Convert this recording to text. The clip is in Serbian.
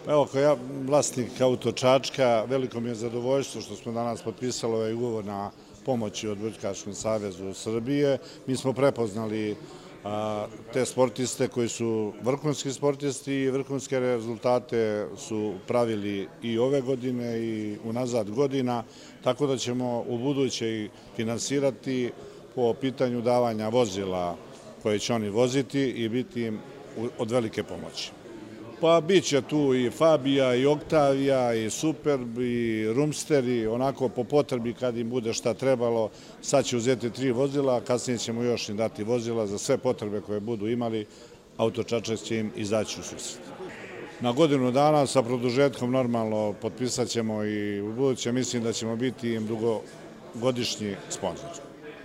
Evo, kao ja, vlasnik Auto Čačka, veliko mi je zadovoljstvo što smo danas potpisali ovaj ugovor na pomoći od Odbojkaškom savezu Srbije. Mi smo prepoznali te sportiste koji su vrhunski sportisti i vrhunske rezultate su pravili i ove godine i unazad godina, tako da ćemo u buduće i finansirati po pitanju davanja vozila koje će oni voziti i biti im od velike pomoći. Pa bit će tu i Fabija, i Oktavija, i Superb, i Rumster, onako po potrebi kad im bude šta trebalo. Sad će uzeti 3 vozila, kasnije ćemo još im dati vozila za sve potrebe koje budu imali. Auto Čačak će im izaći u susret. Na godinu dana sa produžetkom normalno potpisat ćemo i u buduće mislim da ćemo biti im dugogodišnji sponzor.